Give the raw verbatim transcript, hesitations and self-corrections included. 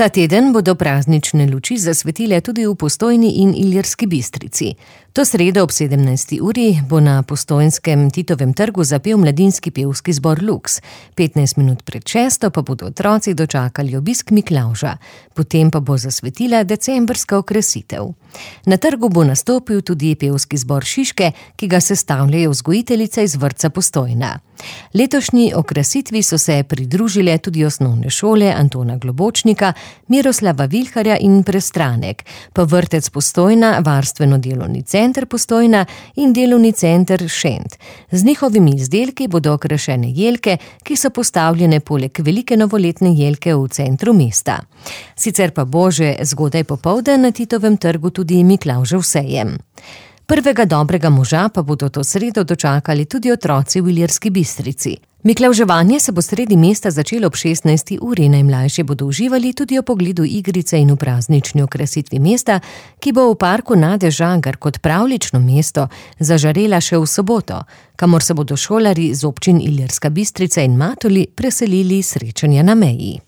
Ta teden bodo praznične luči zasvetile tudi v Postojni in Ilirski Bistrici. To sredo ob sedemnajsti uri bo na postojnskem Titovem trgu zapel mladinski pevski zbor Lux. petnajst minut pred šesto pa bodo otroci dočakali obisk Miklavža. Potem pa bo zasvetila decembrska okrasitev. Na trgu bo nastopil tudi pevski zbor Šiške, ki ga sestavljajo vzgojiteljice iz vrtca Postojna. Letošnji okrasitvi so se pridružile tudi osnovne šole Antona Globočnika, Miroslava Vilharja in Prestranek, pa vrtec Postojna, varstveno-delovni center Postojna in delovni center Šent. Z njihovimi izdelki bodo okrašene jelke, ki so postavljene poleg velike novoletne jelke v centru mesta. Sicer pa bo že zgodaj popoldan na Titovem trgu tudi Miklavžev sejem. Prvega dobrega moža pa bodo to sredo dočakali tudi otroci v Ilirski Bistrici. Miklavževanje se bo sredi mesta začelo ob šestnajsti uri, najmlajši bodo uživali tudi ob pogledu igrice in v praznični okrasitvi mesta, ki bo v parku Nade Žagar kot pravljično mesto zažarela še v soboto, kamor se bodo šolarji z občin Ilirska Bistrica in Matoli preselili srečanja na meji.